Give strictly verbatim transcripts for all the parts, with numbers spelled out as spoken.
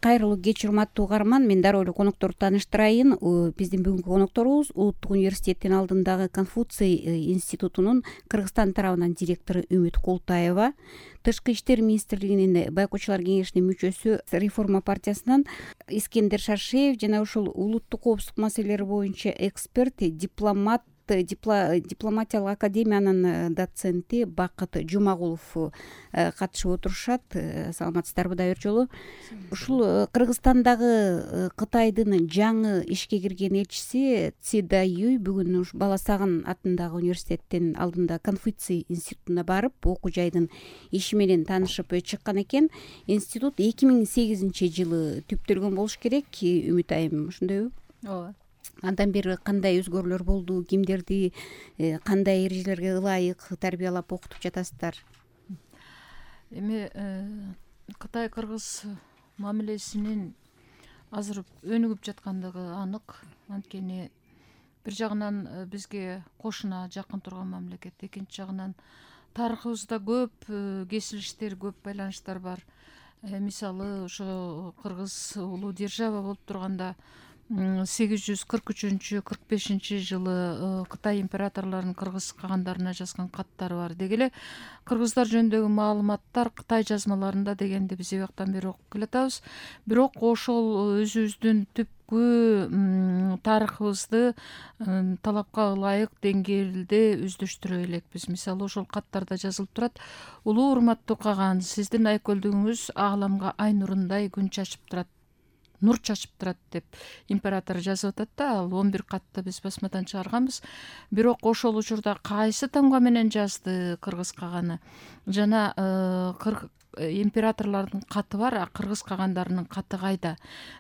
Кайрылуу кеч, урматтуу угарман. Мен дароо эле конокторду тааныштырайын. Биздин бүгүнкү конокторубуз Улуттук университеттин алдындагы Конфуций институтунун Кыргызстан тарабынан директору Үмүт Култаева, Тышкы иштер министрлигинин байкоочулар кеңешинин мүчөсү, Реформа партиясынан Искендер Шаршеев жана ушул улуттук коопсуздук маселелери боюнча эксперт, дипломат, дипломатиялык академиянын доценти Бакыт Жумагулов катышып отурушат. Саламатсыздарбы да бир жолу? Ушул Кыргызстандагы Кытайдын жаңы ишке кирген элчиси Цида Юй бүгүн Баласагын атындагы университеттин алдында Конфуций институтуна барып, окуу жайдын иши менен таанышып чыккан экен. Институт эки миң сегизинчи жылы түптөлгөн болуш керек. Үмүт айым, ошондойбу? Ооба. Андан бери кандай өзгөрүүлөр болду? Кимдерди кандай эрежелерге ылайык тарбиялап окутуп жатасыздар? Эми Кытай-Кыргыз мамилесинин азыр өнүгүп жаткандыгы анык. Анткени бир жагынан бизге кошуна жакын турган мамлекет, экинчи жагынан тарыхыбызда көп кесилиштер, көп байланыштар бар. Мисалы, ошо Кыргыз улуу держава болуп турганда сегиз жүз кырк үчүнчү кырк бешинчи жылы Кытай императорлорунун кыргыз кагандарына жазган каттары бар. Деги эле кыргыздар жөнүндөгү маалыматтар Кытай жазмаларында дегенди биз эбактан бери окуп келатабыз. Бирок ошол өзүбүздүн түпкү тарыхыбызды талапка ылайык деңгээлде өздөштүрө элекпиз. Мисалы, ошол каттарда жазылып турат: улуу урматтуу каган, сиздин айкөлдүгүңүз ааламга ай нурундай күн чачып турат, нур чачып турат деп император жазып атат да. Ал он бир катты биз басмадан чыгарганбыз. Бирок ошол учурда кайсы тамга менен жазды кыргыз каганы жана императорлордун каты бар, а кыргыз кагандарынын каты кайда?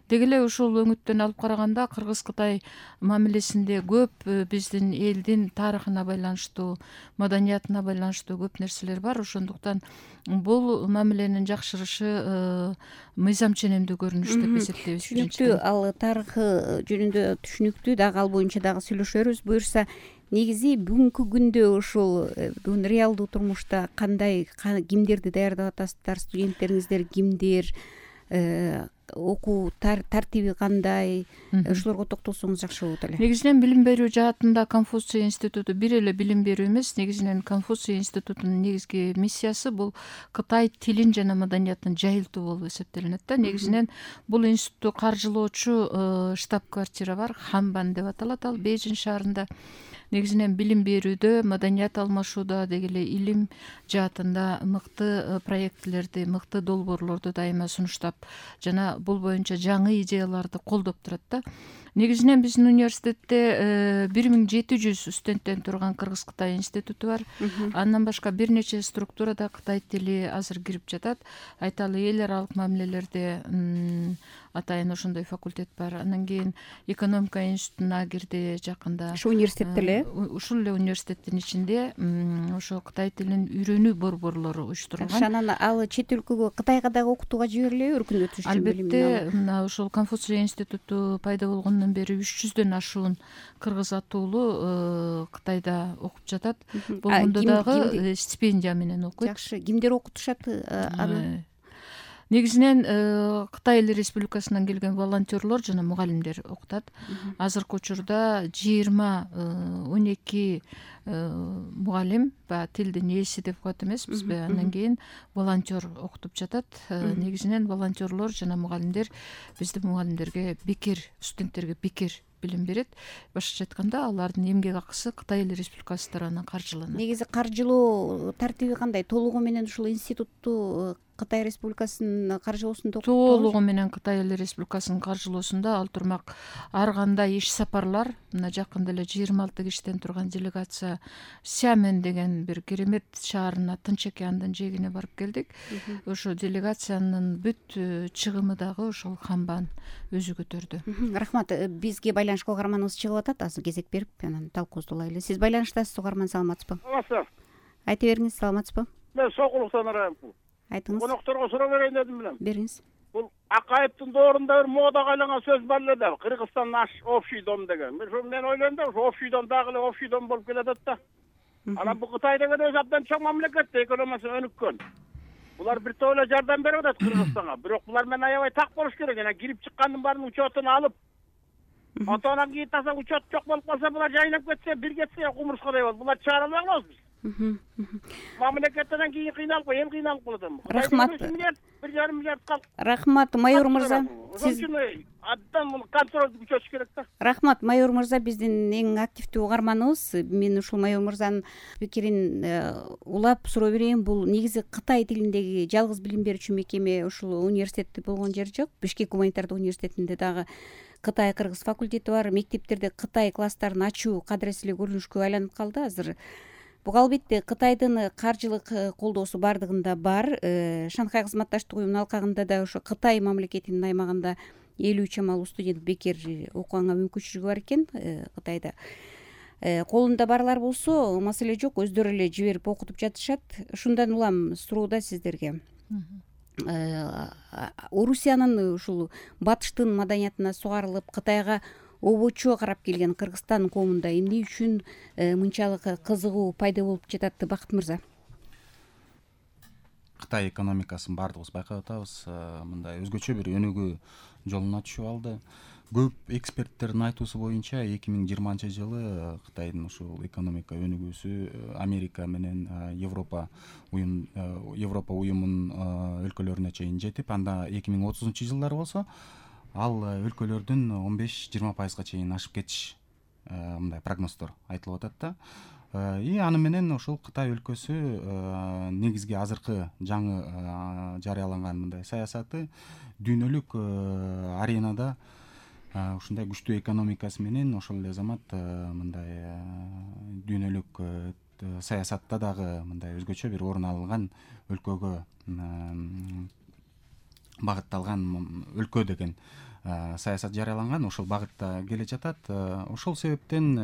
Деги эле ушул өңүттөн алып караганда Кыргыз-Кытай мамилесинде көп биздин элдин тарыхына байланыштуу, маданиятына байланыштуу көп нерселер бар. Ошондуктан бул мамиленин жакшырышы мыйзам ченемдүү көрүнүш деп эсептейбиз. Түшүнүктүү, ал тарыхы жөнүндө түшүнүктүү, дагы ал боюнча дагы сүйлөшөрүз. Буюрса, негизи бүгүнкү күндө ушул бүгүн реалдуу турмушта кандай, кимдерди даярдап атасыздар? Студенттериңиздер кимдер? Окуу тартиби кандай? Ушулорго токтолсоңуз жакшы болот эле. Негизинен билим берүү жаатында Конфуций институту бир эле билим берүү эмес. Негизинен Конфуций институтунун негизги миссиясы бул Кытай тилин жана маданиятын жайылтуу болуп эсептелинет да. Негизинен бул институтту каржылоочу штаб-квартира бар, Хамбан деп аталат. Ал Бейжин шаарында. Негизинен билим берүүдө, маданият алмашууда, деги эле илим жаатында мыкты проектилерди, мыкты долбоорлорду дайыма сунуштап жана бул боюнча жаңы идеяларды колдоп турат да. Негизинен биздин университетте бир миң жети жүз студенттен турган Кыргыз-Кытай институту бар. Андан башка бир нече структурада Кытай тили азыр кирип жатат. Айталы, эл аралык мамилелерде атайын ошондой факультет бар. Андан кийин экономика институтуна кирди жакында. Ушу университетте эле? Ушул эле университеттин ичинде ошо Кытай тилин үйрөнүү борборлору уюштурулган. Анан ал чет өлкөгө, Кытайга дагы окутууга жиберилеби? Өркүндөтүш үчүн албетте, мына ушул Конфуций институту пайда болгондон бери үч жүздөн ашуун кыргыз атуулу Кытайда окуп жатат. Болгондо дагы стипендия менен окуйт. Жакшы. Кимдер окутушат аны? Негизинен Кытай Эл Республикасынан келген волонтерлор жана мугалимдер окутат. Азыркы учурда жыйырма он эки мугалим, баягы тилдин ээси деп коет эмеспизби, андан кийин волонтер окутуп жатат. Негизинен волонтерлор жана мугалимдер биздин мугалимдерге бекер, студенттерге бекер билим берет. Башкача айтканда, алардын эмгек акысы Кытай Эл Республикасы тарабынан каржыланат. Негизи каржылоо тартиби кандай? Толугу менен ушул институтту Кытай Республикасынын каржылоосунда окутуп толугу менен Кытай Эл Республикасынын каржылоосунда. Ал турмак ар кандай иш сапарлар, мына жакында эле жыйырма алты кишиден турган делегация Сямен деген бир керемет шаарына, Тынч океандын жээгине барып келдик. Ошо делегациянын бүт чыгымы дагы ошол Хамбан өзү көтөрдү. Рахмат. Бизге байланышка угарманыбыз чыгып атат. Азыр кезек берип, анан талкуубузду улайлы. Сиз байланыштасыз, угарман, саламатсызбы? Саламатсызбы. Айта бериңиз, саламатсызбы? Мен Сокулуктан арайм. Айтыңыз. Конокторго суроо берейин дедим билем. Бериңиз. Бул Акаевдин доорунда бир модага айланган сөз бар эле да, Кыргызстан наш общий дом деген. Мен ойлойм да, ошо общий дом дагы эле общий дом болуп келатат да. Анан бул Кытай деген өзү абдан чоң мамлекет, экономикасы өнүккөн. булар бир топ эле жардам берип атат Кыргызстанга. Бирок булар менен аябай так болуш керек. Жана кирип чыккандын баарынын учетун алып, атадан кийин таса учет жок болуп калса, булар жайнап кетсе, бир кетсе кумурскадай болот. Булар чыгара албай калабыз биз. Мамлекеттен кийин кыйналып, эл кыйналып калат эми. Рахмат. бир жарым миллиард калды. Рахмат, майор мырза. Сиз абдан муну контролду күчөтүш керек да. Рахмат, майор мырза, биздин эң активдүү угарманыбыз. Мен ушул майор мырзанын пикирин улап суроо берейин. Бул негизи Кытай тилиндеги жалгыз билим берүүчү мекеме ушул университетте болгон жер жок. Бишкек гуманитардык университетинде дагы Кытай кыргыз факультети бар. Мектептерде Кытай класстарын ачуу кадырес эле көрүнүшкө айланып калды азыр. Буга албетте Кытайдын каржылык колдоосу бардыгында бар. Шанхай кызматташтык уюмунун алкагында да ошо Кытай мамлекетинин аймагында элүү чамалуу студент бекер окуганга мүмкүнчүлүгү бар экен Кытайда. Колунда барлар болсо маселе жок, өздөрү эле жиберип окутуп жатышат. Ушундан улам суроодо сиздерге. Орусиянын ушул батыштын маданиятына сугарылып Кытайга обочо карап келген Кыргызстан коомунда эмне үчүн мынчалык кызыгуу пайда болуп жатат, Бакыт мырза? Кытай экономикасын баардыгыбыз байкап атабыз. Мындай өзгөчө бир өнүгүү жолуна түшүп алды. Көп эксперттердин айтуусу боюнча эки миң жыйырманчы жылы Кытайдын ушул экономика өнүгүүсү Америка менен Европа уюм Европа уюмунун өлкөлөрүнө чейин жетип, анда эки миң отузунчу жылдары болсо ал өлкөлөрдүн он беш жыйырма пайызга чейин ашып кетиш мындай прогноздор айтылып атат да. И аны менен ошол Кытай өлкөсү негизги азыркы жаңы жарыяланган мындай саясаты дүйнөлүк аренада ушундай күчтүү экономикасы менен ошол эле замат мындай дүйнөлүк саясатта дагы мындай өзгөчө бир орун алган өлкөгө багытталган өлкө деген саясат жарыяланган, ошол багытта келе жатат. Ошол себептен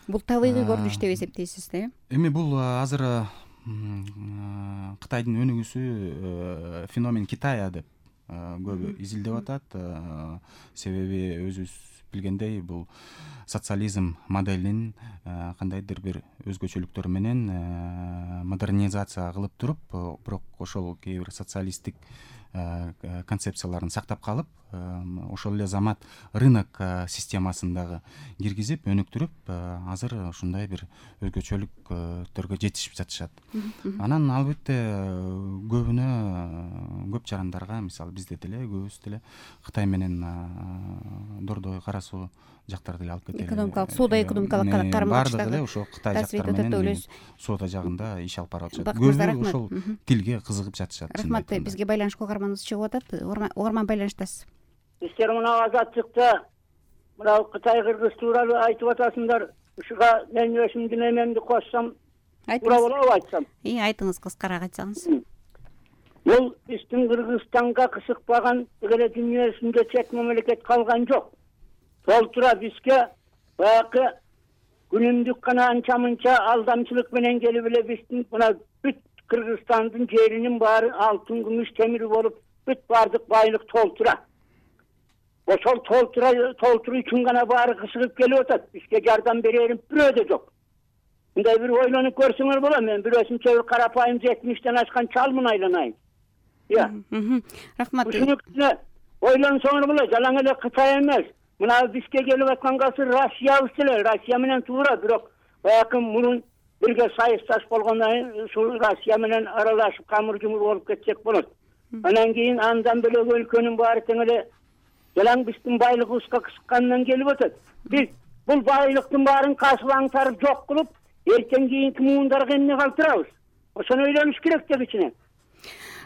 бул табигый көрүнүш деп эсептейсиз да? Эми бул азыр Кытайдын өнүгүүсү феномен Китая деп көбү изилдеп атат. Себеби өзүбүз билгендей бул социализм моделин кандайдыр бир өзгөчөлүктөр менен модернизация кылып туруп, бирок ошол кээ бир социалисттик концепцияларын сактап калып, ошол эле замат рынок системасын дагы киргизип, өнүктүрүп, азыр ушундай бир өзгөчөлүктөргө жетишип жатышат. Анан албетте көбүнө көп жарандарга, мисалы бизде деле көбүбүз деле Кытай менен дордой кара суу жактарды эле алып кетели. Экономикалык, соода экономикалык карым-карыштагы баардыгы эле ошол Кытай жактары менен соода жагында иш алып барып жатышат. Көбү ошол тилге кызыгып жатышат. Рахмат, бизге байланышка угарманыбыз чыгып атат. Угарман байланыштасыз. Сиздер мына азаттыкта мына Кытай кыргыз тууралуу айтып атасыңдар. Ушуга мен өзүмдүн эмемди кошсом, туура болобу айтсам? И айтыңыз, кыскараак айтсаңыз. Бул биздин Кыргызстанга кызыкпаган эле дүйнөсүндө чет мамлекет калган жок. Толтура бизге баягы күнүмдүк гана анча-мынча алдамчылык менен келип эле биздин мына бүт Кыргызстандын жеринин баары алтын, күмүш, темир болуп, бүт баардык байлык толтура. Ошол толтура толтуруу үчүн гана баары кызыгып келип атат. Бизге жардам берерим бирөө да жок. Мындай бир ойлонуп көрсөңөр болот. Мен бирөөсүнчө бир карапайым жетимиштен ашкан чалмын айланайын. Я. Рахмат. Ушуну ойлонсоңор болот. Жалаң эле Кытай эмес. Мына бизге келип аткан касы Россиябыз эле. Россия менен туура, бирок баягы мурун бирге сайысташ болгондон кийин ушул Россия менен аралашып камыр-жумур болуп кетсек болот. Анан кийин андан бөлөк өлкөнүн баары тең эле жалаң биздин байлыгыбызга кызыккандан келип атат. Биз бул байлыктын баарын касып аңтарып жок кылып, эртең кийинки муундарга эмне калтырабыз? Ошону ойлонуш керек деп ичинен.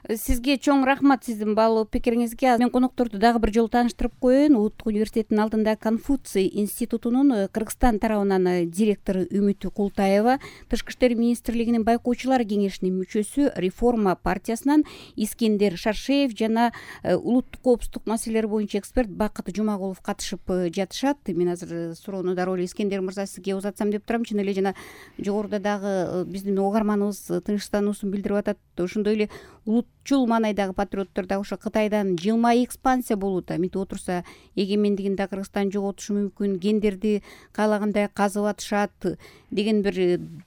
Сизге чоң рахмат сиздин баалуу пикириңизге. Мен конокторду дагы бир жолу тааныштырып коеюн. Улуттук университеттин алдында Конфуций институтунун Кыргызстан тарабынан директору Үмүт Култаева, Тышкы иштер министрлигинин байкоочулар кеңешинин мүчөсү, Реформа партиясынан Искендер Шаршеев жана улуттук коопсуздук маселелери боюнча эксперт Бакыт Жумагулов катышып жатышат. Мен азыр суроону дароо эле Искендер мырза сизге узатсам деп турам. Чын эле жана жогоруда дагы биздин угарманыбыз тынчтануусун билдирип атат. Ошондой эле улутчул маанайдагы патриоттор дагы ошо Кытайдан жылмай экспансия болуп атат, мынтип отурса эгемендигин да Кыргызстан жоготушу мүмкүн, гендерди каалагандай казып атышат деген бир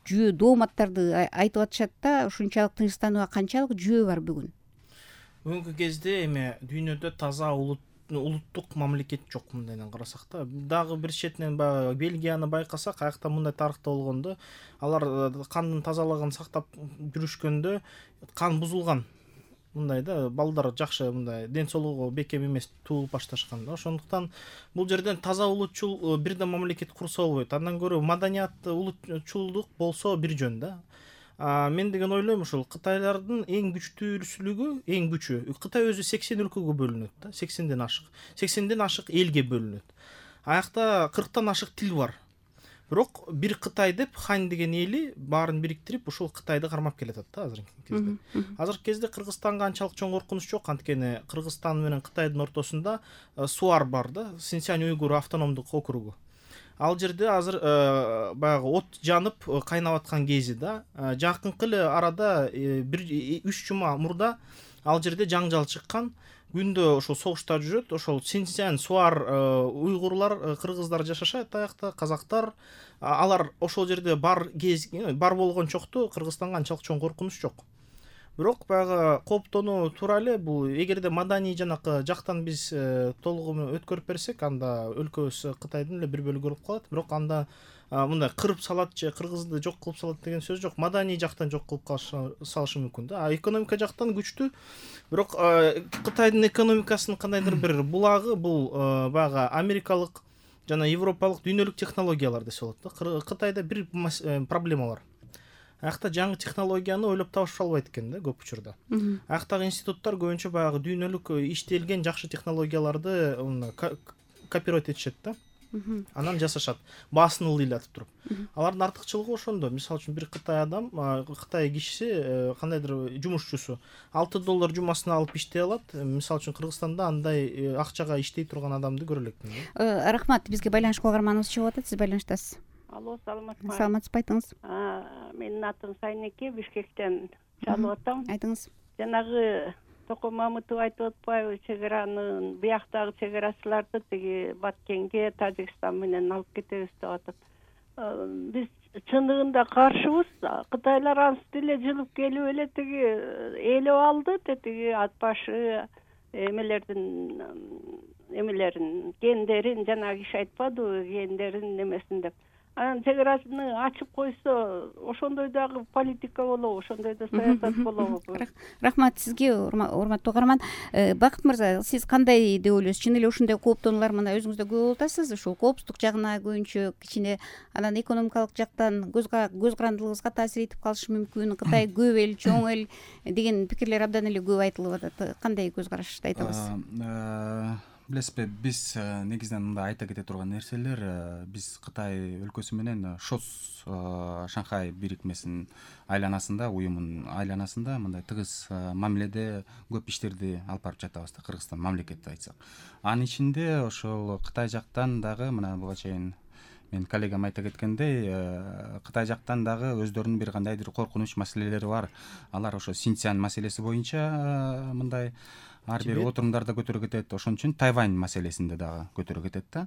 жүйө дооматтарды айтып атышат да, ушунчалык тынчтанууга канчалык жүйө бар бүгүн? Бүгүнкү кезде эми дүйнөдө таза улут улуттук мамлекет жок, мындайдан карасак да. Дагы бир четинен баягы Бельгияны байкасак, аякта мындай тарыхта болгондо, алар кандын тазалыгын сактап жүрүшкөндө кан бузулган. Мындай да, балдар жакшы мындай ден соолугу бекем эмес туулуп башташкан да. Ошондуктан бул жерден таза улутчул бирден мамлекет курса болбойт. Андан көрө маданият, улутчулдук болсо бир жөн да. Мен деген ойлойм, ушул Кытайлардын эң күчтүүсүлүгү, эң күчү. Кытай өзү сексен өлкөгө бөлүнөт да, сексенден ашык. сексенден ашык элге бөлүнөт. Аякта кырктан ашык тил бар. Бирок бир Кытай деп Хань деген эли баарын бириктирип, ушул Кытайды кармап келатат да азыркы кезде. Азыркы кезде Кыргызстанга анчалык чоң коркунуч жок, анткени Кыргызстан менен Кытайдын ортосунда Суар бар да, Синьцзянь-Уйгур автономдук округу. Ал жерде азыр баягы от жанып кайнап аткан кези да. Жакынкы эле арада бир үч жума мурда ал жерде жаңжал чыккан. Күндө ошол согуштар жүрөт. Ошол Синьцзянь, Суар уйгурлар, кыргыздар жашашат аякта, казактар. Алар ошол жерде бар кез бар болгончокту Кыргызстанга анчалык чоң коркунуч жок. Бирок баягы кооптонуу туура эле, бул эгерде маданий жанакы жактан биз толугу өткөрүп берсек, анда өлкөбүз Кытайдын эле бир бөлүгү болуп калат. Бирок анда мындай кырып салат же кыргызды жок кылып салат деген сөз жок. Маданий жактан жок кылып салышы мүмкүн да. А экономика жактан күчтүү. Бирок Кытайдын экономикасынын кандайдыр бир булагы бул баягы америкалык жана европалык дүйнөлүк технологиялар десе болот да. Кытайда бир проблема бар. Аякта жаңы технологияны ойлоп табышып албайт экен да көп учурда. Аяктагы институттар көбүнчө баягы дүйнөлүк иштелген жакшы технологияларды копировать этишет да. Анан жасашат, баасын ылдыйлатып туруп. Алардын артыкчылыгы ошондо. Мисалы үчүн бир Кытай адам, Кытай кишиси, кандайдыр жумушчусу алты доллар жумасына алып иштей алат. Мисалы үчүн Кыргызстанда андай акчага иштей турган адамды көрө элекмин. Рахмат, бизге байланышка кугарманыбыз чыгып атат, сиз байланыштасыз. Алло, саламатсызбы? Саламатсызбы, айтыңыз. Менин атым Сайнеке, Бишкектен чалып атам. Айтыңыз. Жанагы Токо Мамытов айтып атпайбы, чегаранын бияктагы чегарачыларды тиги Баткенге, Тажикстан менен алып кетебиз деп атат. Биз чындыгында каршыбыз. Кытайлар ансыз эле жылып келип эле тиги ээлеп алды, тиги ат башы эмелердин эмелерин, гендерин, жана киши айтпадыбы, гендерин немесин деп. Анан чегараны ачып койсо, ошондой дагы политика болобу, ошондой да саясат болобу? Рахмат сизге, урматтуу угарман. Бакыт мырза, сиз кандай деп ойлойсуз? Чын эле ушундай кооптонуулар мына өзүңүз да көп болуп атасыз, ушул коопсуздук жагына көбүнчө кичине, анан экономикалык жактан көз карандылыгыбызга таасир этип калышы мүмкүн, Кытай көп эл, чоң эл деген пикирлер абдан эле көп айтылып атат. Кандай көз карашты айтабыз? Билесизби, биз негизинен мындай айта кете турган нерселер, биз Кытай өлкөсү менен ШОС Шанхай бирикмесинин айланасында, уюмунун айланасында мындай тыгыз мамиледе көп иштерди алып барып жатабыз да, Кыргызстан мамлекетти айтсак. Анын ичинде ошол Кытай жактан дагы мына буга чейин мен коллегам айта кеткендей, Кытай жактан дагы өздөрүнүн бир кандайдыр коркунуч маселелери бар. Алар ошо Синьцзянь маселеси боюнча мындай ар бир отурумдарда көтөрүп кетет, ошон үчүн Тайвань маселесинде дагы көтөрүп кетет да.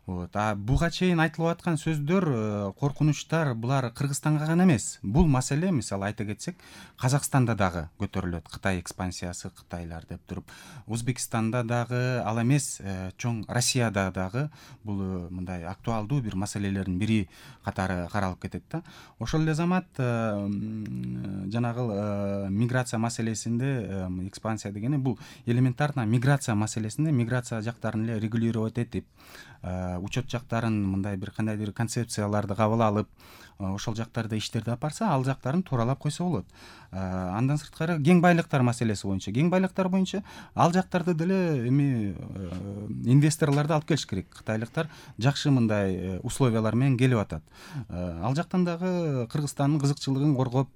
Вот. А буга чейин айтылып аткан сөздөр, коркунучтар булар Кыргызстанга гана эмес. Бул маселе, мисалы айта кетсек, Казакстанда дагы көтөрүлөт. Кытай экспансиясы, Кытайлар деп туруп, Өзбекстанда дагы, ал эмес, чоң Россияда дагы бул мындай актуалдуу бир маселелердин бири катары каралып кетет да. Ошол эле замат жанагы миграция маселесинде, экспансия дегени бул элементарно миграция маселесинде миграция жактарын эле регулировать этип, учет жактарын мындай бир кандайдыр концепцияларды кабыл алып, ошол жактарда иштерди алып барса, ал жактарын тууралап койсо болот. Андан сырткары кең байлыктар маселеси боюнча, кең байлыктар боюнча ал жактарды деле эми инвесторлорду алып келиш керек. Кытайлыктар жакшы мындай условиялар менен келип атат. Ал жактан дагы Кыргызстандын кызыкчылыгын коргоп,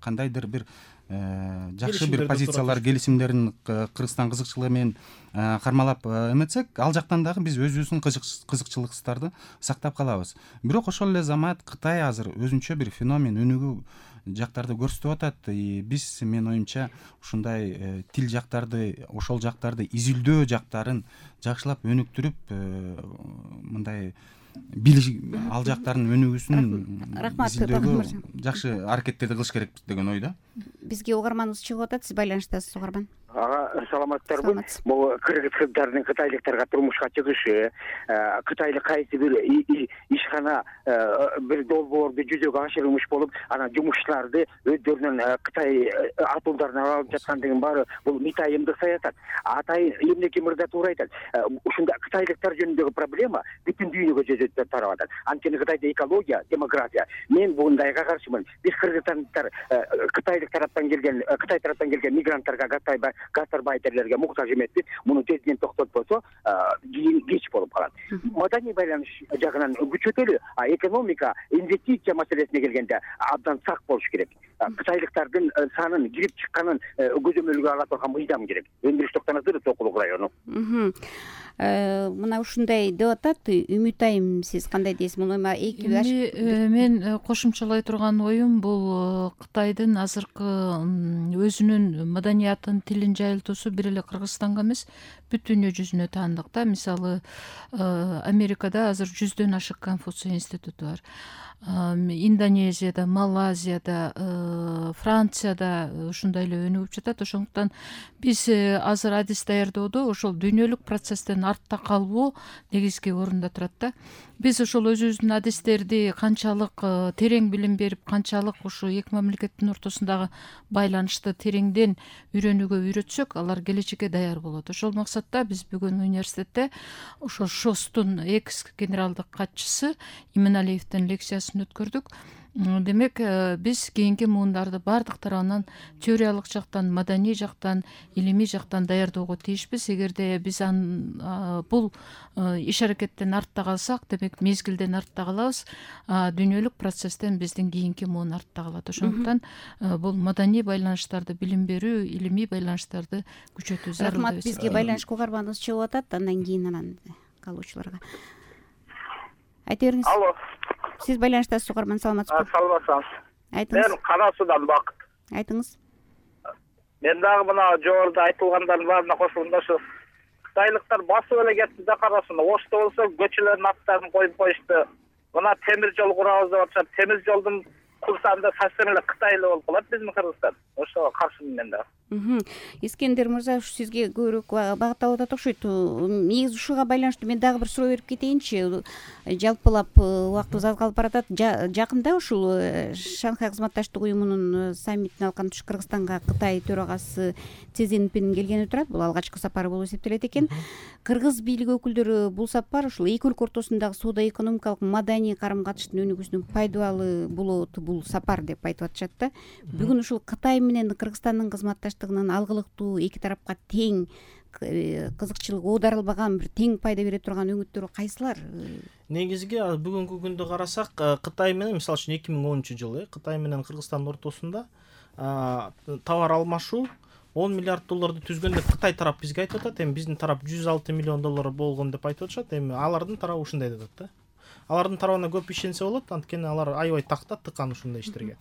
кандайдыр бир жакшы бир позициялар, келишимдерин Кыргызстан кызыкчылыгы менен кармалап эметсек, ал жактан дагы биз өзүбүздүн кызыкчылыктарды сактап калабыз. Бирок ошол эле замат Кытай азыр өзүнчө бир феномен өнүгүү жактарды көрсөтүп атат. Биз менин оюмча ушундай тил жактарды, ошол жактарды изилдөө жактарын жакшылап өнүктүрүп, мындай ал жактардын өнүгүүсүн изилдөөгө жакшы аракеттерди кылыш керекпиз деген ойдо. Бизге угарманыбыз чыгып атат, сиз байланыштасыз угарман. Ага, саламатсыздарбы? Бул кыргыз кыздардын кытайлыктарга турмушка чыгышы, кытайлык кайсы бир ишкана бир долбоорду жүзөгө ашырылмыш болуп, анан жумушчуларды өздөрүнүн Кытай атуулдарын алып жаткандыгын баары бул митайымдык саясат. Атай эмнеге мырза туура айтат. Ушунда кытайлыктар жөнүндөгү проблема бүтүн дүйнөгө тарап атат. Анткени Кытайда экология, демография. Мен бундайга каршымын. Биз кыргызстандар кытайлык тараптан келген, Кытай тараптан келген мигранттарга гастарбайтерлерге муктаж эмеспиз. Муну тезден токтотпосо, кийин кеч болуп калат. Маданий байланыш жагынан күчөтөлү, а экономика, инвестиция маселесине келгенде абдан сак болуш керек. Кытайлыктардын санын кирип чыкканын көзөмөлгө ала турган мыйзам керек. Өндүрүш токтоносу Сокулук району. Мына ушундай деп атат. Үмүт айым, сиз кандай дейсиз? Муну эки мен кошумчалай турган оюм бул Кытайдын азыркы өзүнүн маданиятын, тилин жайылтуусу бир эле Кыргызстанга эмес, бүт дүйнө жүзүнө таандык да. Мисалы, Америкада азыр жүздөн ашык Конфуций институту бар. Индонезияда, Малайзияда, Францияда ушундай эле өнүгүп жатат. Ошондуктан биз азыр адис даярдоодо ошол дүйнөлүк процесстен артта калбоо негизги орунда турат да. Биз ошол өзүбүздүн адистерди канчалык терең билим берип, канчалык ушу эки мамлекеттин ортосундагы байланышты тереңден үйрөнүүгө үйрөтсөк, алар келечекке даяр болот. Ошол максатта биз бүгүн университетте ошол ШОСтун экс генералдык катчысы Иманалиевдин лекциясын өткөрдүк. Демек, биз кийинки муундарды бардык тарабынан теориялык жактан, маданий жактан, илимий жактан даярдоого тийишпиз. Эгерде биз бул иш аракеттен артта калсак, демек мезгилден артта калабыз. Дүйнөлүк процесстен биздин кийинки муун артта калат. Ошондуктан бул маданий байланыштарды билим берүү, илимий байланыштарды күчөтүү зарыл. Рахмат, бизге байланышка угарманыбыз чыгып атат. Андан кийин анан калуучуларга айта бериңиз. Алло. Сиз байланыштасыз угарман, саламатсызбы? Саламатсыз. Айтыңыз. Мен Кара Суудан Бакыт. Айтыңыз. Мен дагы мына жогоруда айтылгандардын баарына кошулгум да, ушу кытайлыктар басып эле кетти да Кара Сууну. Ошто болсо көчөлөрдүн аттарын коюп коюшту. Мына темир жол курабыз деп атышат. Темир жолдун курсагында совсем эле кытайлык болуп калат биздин Кыргызстан. Ошого каршымын мен да. Искендер мырза, ушу сизге көбүрөөк багытталып атат окшойт. Негизи ушуга байланыштуу мен дагы бир суроо берип кетейинчи. Жалпылап убактыбыз аз калып баратат. Жакында ушул Шанхай кызматташтык уюмунун саммитин алкан туш Кыргызстанга Кытай төрагасы Си Цзиньпин келгени турат. Бул алгачкы сапары болуп эсептелет экен. Кыргыз бийлиги өкүлдөрү бул сапар ушул эки өлкө ортосундагы соода-экономикалык, маданий карым-катыштын өнүгүүсүнүн пайдалуу болот бул сапар деп айтып атышат да. Бүгүн ушул Кытай менен Кыргызстандын кызматташтыгынын алгылыктуу, эки тарапка тең кызыкчылыгы оодарылбаган, бир тең пайда бере турган өңүттөрү кайсылар? Негизги бүгүнкү күндө карасак, Кытай менен, мисалы үчүн эки миң онунчу жылы Кытай менен Кыргызстандын ортосунда товар алмашуу он миллиард долларды түзгөн деп Кытай тарап бизге айтып атат. Эми биздин тарап жүз алты миллион доллар болгон деп айтып атышат. Эми алардын тарабы ушундай деп атат да. Алардын тарабына көп ишенсе болот, анткени алар аябай такта тыккан ушундай иштерге.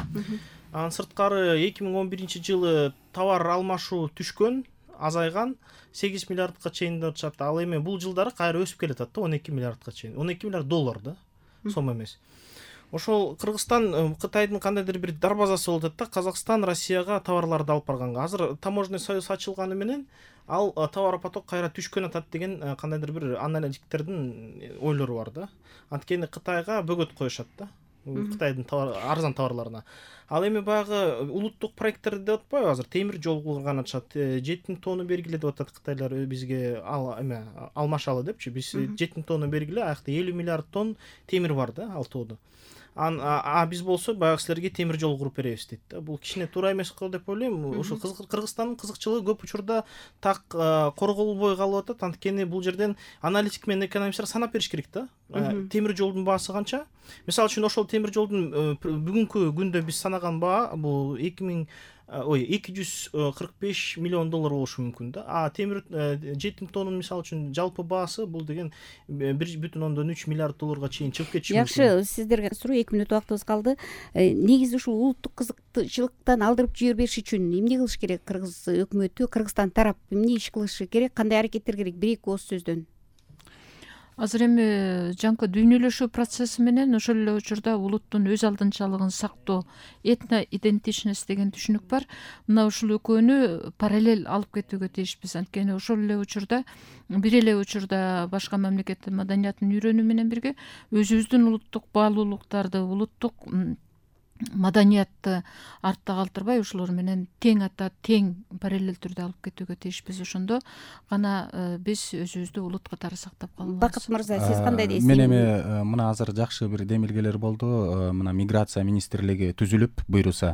Анан сырткары эки миң он биринчи жылы товар алмашуу түшкөн, азайган, сегиз миллиардка чейин деп атышат. Ал эми бул жылдары кайра өсүп келатат да, он эки миллиардка чейин. он эки миллиард доллар да, сом эмес. Ошол Кыргызстан Кытайдын кандайдыр бир дарбазасы болуп атат да, Казакстан Россияга товарларды алып барганга. Азыр таможенный союз ачылганы менен ал товар поток кайра түшкөн атат деген кандайдыр бир аналитиктердин ойлору бар да. Анткени Кытайга бөгөт коюшат да, Кытайдын арзан товарларына. Ал эми баягы улуттук проекттер деп атпайбы, азыр темир жол курган атышат. жети миң тонна бергиле деп атат Кытайлар бизге, ал эме алмашалы депчи. Биз жети миң тонна бергиле, аякта элүү миллиард тонн темир бар да, ал тоодо. А биз болсо баягы силерге темир жол куруп беребиз дейт да. Бул кичине туура эмес го деп ойлойм. Ошо Кыргызстандын кызыкчылыгы көп учурда так корголбой калып атат. Анткени бул жерден аналитик менен экономисттер санап бериш керек да. Темир жолдун баасы канча? Мисалы үчүн ошол темир жолдун бүгүнкү күндө биз санаган баа бул эки миң ой эки жүз кырк беш миллион доллар болушу мүмкүн да. А темир жетим тоннун мисалы үчүн жалпы баасы бул деген бир бүтүн ондон үч миллиард долларга чейин чыгып кетиши мүмкүн. Жакшы, сиздерге суроо, эки мүнөт убактыбыз калды. Негизи ушул улуттук кызыкчылыктан алдырып жибербеш үчүн эмне кылыш керек? Кыргыз өкмөтү, Кыргызстан тарап эмне иш кылышы керек? Кандай аракеттер керек? Бир эки ооз сөздөн. Азыр эми жаңкы дүйнөлөшүү процесси менен ошол эле учурда улуттун өз алдынчалыгын сактоо, этно идентичность деген түшүнүк бар. Мына ушул экөөнү параллель алып кетүүгө тийишпиз. Анткени ошол эле учурда, бир эле учурда башка мамлекеттин маданиятын үйрөнүү менен бирге өзүбүздүн улуттук баалуулуктарды, улуттук маданиятты артта калтырбай ошолор менен тең ата, тең параллель түрдө алып кетүүгө тийишпиз. Ошондо гана биз өзүбүздү улут катары сактап калабыз. Бакыт мырза, сиз кандай дейсиз? Мен эми мына азыр жакшы бир демилгелер болду. Мына миграция министрлиги түзүлүп буйруса,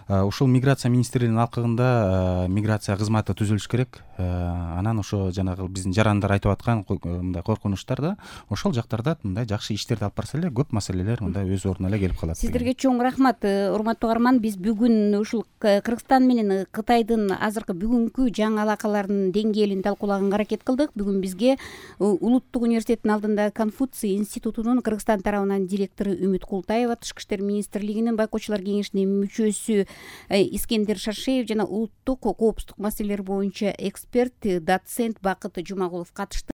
ушул миграция министрлигинин алкагында миграция кызматы түзүлүш керек. Анан ошо жанагы биздин жарандар айтып аткан мындай коркунучтар да, ошол жактарда мындай жакшы иштерди алып барса эле көп маселелер мындай өз ордуна эле келип калат. Сиздерге чоң рахмат, урматтуу угарман. Биз бүгүн ушул Кыргызстан менен Кытайдын азыркы бүгүнкү жаңы алакаларынын деңгээлин талкуулаганга аракет кылдык. Бүгүн бизге Улуттук университеттин алдында Конфуций институтунун Кыргызстан тарабынан директору Үмүт Култаева, Тышкы иштер министрлигинин байкоочулар кеңешинин мүчөсү Искендер Шаршеев жана улуттук коопсуздук маселелери боюнча эксперт, доцент Бакыт Жумагулов катышты.